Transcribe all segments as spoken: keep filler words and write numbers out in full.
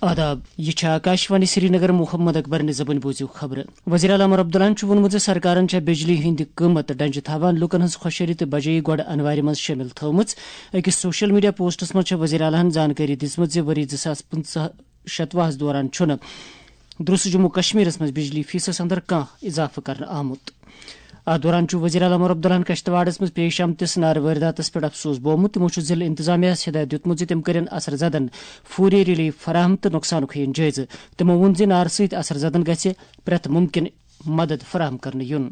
آداب، یہِ چھِ آکاشوانی سرینگر۔ محمد اکبر نِظامٕنۍ بوٗزِو خبرٕ۔ وزیر اعلیٰ عمر عبداللہن چھُ ووٚنمُت زِ سرکارن چھےٚ بجلی ہٕنٛدۍ قۭمت ڈنجہِ تھاوان لوٗکن ہٕنٛز خۄشحٲلی تہٕ بجٲیی گۄڈٕ انوارِ منٛز شٲمِل تھٲومٕژ۔ أکِس سوشل میڈیا پوسٹس منٛز چھےٚ وزیر اعلیٰ ہن زانکٲری دِژمٕژ زِ ؤری زٕ ساس پٕنٛژٕہ شتوُہس دوران چھُنہٕ درست جموں کشمیرس منٛز بجلی فیصدس اندر کانٛہہ اضافہٕ کرنہٕ آمُت۔ اتھ دوران چھُ وزیر اعلیٰ عمر عبداللہن کشتواڑس منٛز پیش آمتِس نارٕ وٲرداتس پٮ۪ٹھ افسوس بوومُت۔ تِمو چھُ ضلعہٕ انتظامیہ ہس ہدایت دیُتمُت زِ تِم کٔرِن اثر زدن فوری ریلیف فراہم تہٕ نۄقصانُک ہیٚیِن جٲیزٕ۔ تِمو ووٚن زِ نارٕ سۭتۍ اثر زدن گژھِ پرٛٮ۪تھ مُمکِن مدد فراہم کرنہٕ یُن۔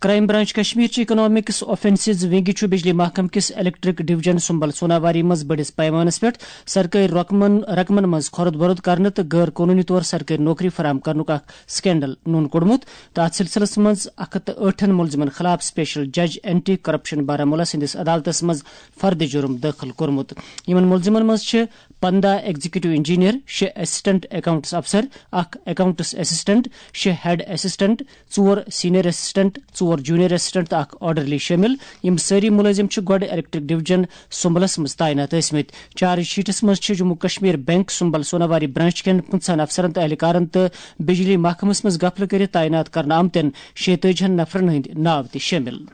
کرائم برانچ کشمیر چہِ اکنامکس آفینسز ونگہِ چھُ بجلی محکمہٕ کِس الیکٹرک ڈویژن سمبل سوناواری منٛز بٔڑِس پیمانس پٮ۪ٹھ سرکٲرۍ رقمن رقمن منٛز خۄرد بۄرد کرنہٕ تہٕ غٲر قونوٗنی طور سرکٲرۍ نوکری فراہم کرنُک اکھ سکینڈل نوٚن کوٚڑمُت، تہٕ اتھ سلسلس منٛز اکھ ہتھ تہٕ ٲٹھن مُلزِمن خلاف سپیشل جج اینٹی کرپشن بارہمولہ سٕنٛدِس عدالتس منٛز فرد جرم دٲخل کوٚرمُت۔ یِمن مُلزِمن منٛز چھِ پنداہ ایگزیکٹو انجینئر، شےٚ اسسٹنٹ اکاؤنٹس افسر، اکھ اکاؤنٹس اسسٹنٹ، شےٚ ہیڈ اسسٹنٹ، ژور سینئر اسسٹنٹ، ژور جونیئر اسسٹنٹ تہٕ اکھ آرڈرلی شٲمِل۔ یِم سٲری مُلٲزِم چھِ گۄڈٕ الیکٹرک ڈویژن سمبلس منٛز تعینات ٲسمٕتۍ۔ چارج شیٹس منٛز چھِ جموں کشمیر بینک سمبل سوناواری برانچ کٮ۪ن پٕنٛژٕہن افسرن تہٕ اہلکارن تہٕ بجلی محکمس منٛز غفلہٕ کٔرِتھ تعینات کرنہٕ آمتٮ۪ن شیٚتٲجی ہن نفرن ہٕنٛدۍ ناو تہِ شٲمِل۔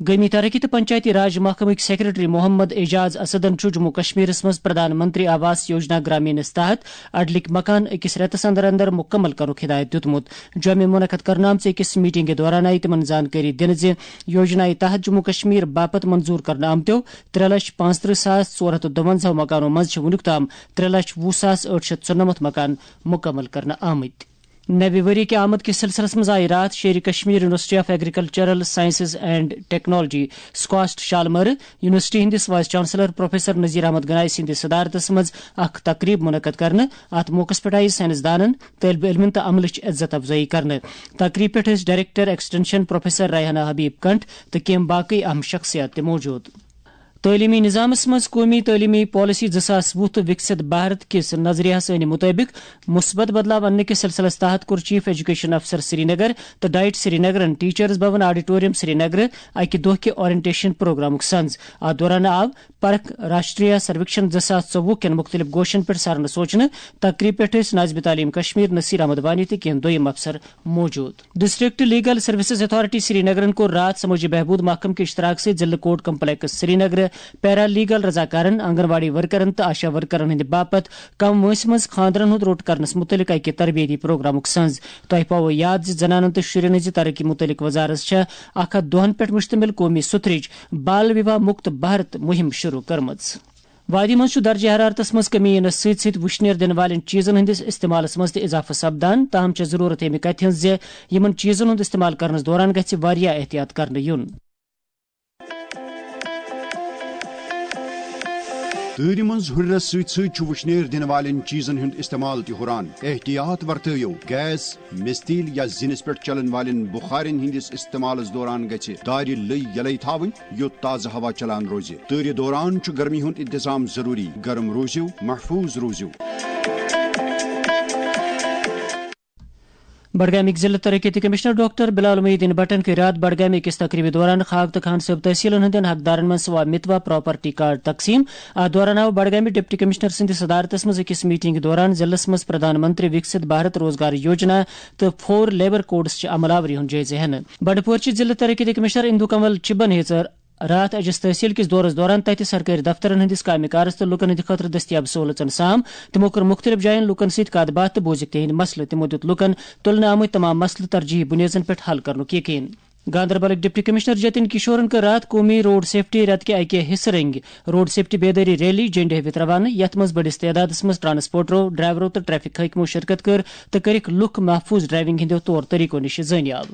گٲمی ترقی تہٕ پنچایتی راج محکمٕکۍ سیکرٹری محمد اعجاز اسدن چھُ جموں کشمیرس منٛز پردھان منتری آواس یوجنا گرامینس تحت اڈلِک مکان أکِس رٮ۪تس اندر اندر مُکمل کرنُک ہدایت دیُتمُت۔ جوٚمہِ منعقد کرنہٕ آمژِ أکِس میٹنگہِ دوران آیہِ تِمن زانکٲری دِنہٕ زِ یوجنایہِ تحت جموں کشمیر باپتھ منظور کرنہٕ آمتیو ترٛےٚ لچھ پانٛژترٕہ ساس ژور ہتھ تہٕ دُوَنزاہ مکانو منٛز چھِ وُنیُک تام ترٛےٚ لچھ وُہ ساس ٲٹھ شتھ ژُنَمَتھ مکان مُکمل کرنہٕ آمٕتۍ۔ نوِ ؤری کہِ آمد کِس سلسلس منٛز آیہِ راتھ Sheri Kashmir university of agricultural sciences and technology, SKUAST شالمٲرٕ یونیورسٹی ہٕنٛدِس vice chancellor professor Nazir Ahmad Ganai سٕنٛدِس صدارتس منٛز اکھ تقریب منعقد کرنہٕ۔ اتھ موقعس پٮ۪ٹھ آیہِ سائنسدانن، طٲلبہِ علمن تہٕ عملٕچ عزت افزٲیی کرنہٕ۔ تقریب پٮ۪ٹھ ٲسۍ director extension professor Rehana Habib Kant تہٕ کینٛہہ باقٕے اہم شخصیات تہِ موجود۔ تعلیمی نظامس منٛز قومی تعلیمی پالیسی زٕ ساس وُہ تہٕ وکست بھارت کِس نظریہس ہٕنٛدِ مطٲبق مثبت بدلاو اننہٕ کِس سلسلس تحت کوٚر چیف ایجوکیشن افسر سرینگر تہٕ ڈائٹ سرینگرن ٹیچرز بھون آڈیٹوریم سرینگر اکہِ دۄہ کہِ اورینٹیشن پروگرامُک سنز۔ اتھ دوران آو پرکھ راشٹریہ سرویکشن زٕ ساس ژوٚوُہ کٮ۪ن مُختٔلِف گوشن پٮ۪ٹھ سرنہٕ سوچنہٕ۔ تقریب پٮ۪ٹھ ٲسۍ ناظم تعلیم کشمیر نصیر احمد وانی تہٕ کینٛہہ دوٚیم افسر موجود۔ ڈسٹرکٹ لیگل سروسز اتھارٹی سرینگرن کوٚر راتھ سمٲجی بہبود محکمہٕ کہِ اشتراک سۭتۍ ضلعہٕ کورٹ کمپلیکس سرینگر پیرا لیگل رضاکارن، آنگن واڑی ورکرن تہٕ آشا ورکرن ہٕنٛدِ باپتھ کم وٲنٛسہِ منٛز خانٛدرن ہُنٛد روٚٹ کرنس مُتعلق اکہِ تربیتی پروگرامُک سنز۔ تۄہہِ پاوو یاد زِ زنانن تہٕ شُرٮ۪ن ہٕنٛزِ ترقی مُتعلق وزارت چھےٚ اکھ ہتھ دۄہن پٮ۪ٹھ مشتمل قومی ستھرٕچ بال وِواہ مُکت بھارت مُہِم شروع کٔرمٕژ۔ وادی منٛز چھُ درجہ حرارتس منٛز کمی یِنس سۭتۍ سۭتۍ وُشنیر دِنہٕ والٮ۪ن چیٖزن ہٕنٛدِس استعمالس منٛز تہِ اضافہٕ سپدان، تاہم چھےٚ ضروٗرت ییٚمہِ کتھِ ہٕنٛز زِ یِمن چیٖزن ہُنٛد استعمال کرنس دوران گژھِ واریاہ احتیاط کرنہٕ یُن۔ تۭرِ منٛز ہُرٮ۪رس سۭتۍ سۭتۍ چھُ وُشنیر دِنہٕ والٮ۪ن چیٖزن ہُنٛد استعمال تہِ ہُران۔ احتیاط ورتٲیِو، گیس، مِستیٖل یا زِنِس پٮ۪ٹھ چلن والٮ۪ن بُخارٮ۪ن ہٕنٛدِس استعمالس دوران گژھِ دارِ لٔۍ یلے تھاوٕنۍ، یوٚت تازٕ ہوا چلان روزِ۔ تۭرِ دوران چھُ گرمی ہُنٛد انتظام ضروٗری۔ گرم روٗزِو، محفوٗظ روٗزِو۔ بڈگامٕکۍ ضلعہٕ ترقیتی کمشنر ڈاکٹر بلال محی الدین بٹن کٔر راتھ بڈگامہِ أکِس تقریبہِ دوران خاک تہٕ خان صٲب تحصیلن ہٕنٛدٮ۪ن حقدارن منٛز سوا متوا پراپرٹی کارڈ تقسیٖم۔ اتھ دوران آو بڈگامہِ ڈپٹی کمشنر سٕنٛدِس صدارتس منٛز أکِس میٹنگہِ دوران ضلعس منٛز پردھان منتری وکست بھارت روزگار یوجنا تہٕ فور لیبر کوڈس چہِ عمل آوری ہُنٛد جٲیزٕ ہٮ۪نہٕ۔ بنڈپورچہِ ضلعہٕ ترقیتی کمشنر اندو کنول چبن ہیژ راتھ أجس تحصیل کِس دورس دوران تتہِ سرکٲرۍ دفترن ہٕنٛدِس کامہِ کارس تہٕ لوٗکن ہٕنٛدِ خٲطرٕ دٔستیاب سہوٗلژن سام۔ تِمو کٔر مُختٔلِف جاین لوٗکن سۭتۍ کتھ باتھ تہٕ بوٗزِکھ تِہنٛدۍ مسلہٕ۔ تِمو دیُت لوٗکن تُلنہٕ آمٕتۍ تمام مسلہٕ ترجیحی بُنیٲدن پٮ۪ٹھ حل کرنُک یقین۔ گاندربلٕکۍ ڈپٹی کمشنر جتن کشورن کٔر راتھ قومی روڈ سیفٹی رٮ۪تہٕ کہِ اکہِ حصہٕ رنگہِ روڈ سیفٹی بیدٲری ریلی جنڈٕ ہٲوِتھ روانہٕ، یتھ منٛز بٔڑِس تعدادس منٛز ٹرانسپورٹرو، ڈرائیورو تہٕ ٹریفک حٲکمو شرکت کٔر تہٕ کٔرِکھ لوٗکھ محفوٗظ ڈرائیونگ ہٕنٛدیو طور طریقو نِش زٲنیاب۔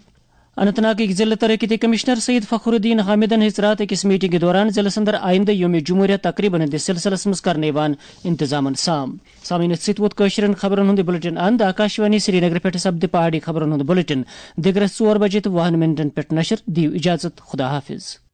اننت ناگٕکۍ ضلعہٕ ترقیتی کمشنر سید فخر الدین حامدن ہیٚژ راتھ أکِس میٹنگہِ دوران ضلعس اندر آیندٕ یوم جمہوریہ تقریبن ہٕنٛدِس سلسلس منٛز کرنہٕ یِوان انتظامن سام۔ سامعین، أتھۍ سۭتۍ ووت کٲشرٮ۪ن خبرن ہُنٛد یہِ بلیٹن اند۔ آکاشوانی سرینگر پٮ۪ٹھ سپدِ پہاڑی خبرن ہُنٛد بلیٹن دِگرس ژور بجے تہٕ وُہن منٹن پٮ۪ٹھ نشر۔ دِیِو اجازت، خدا حافظ۔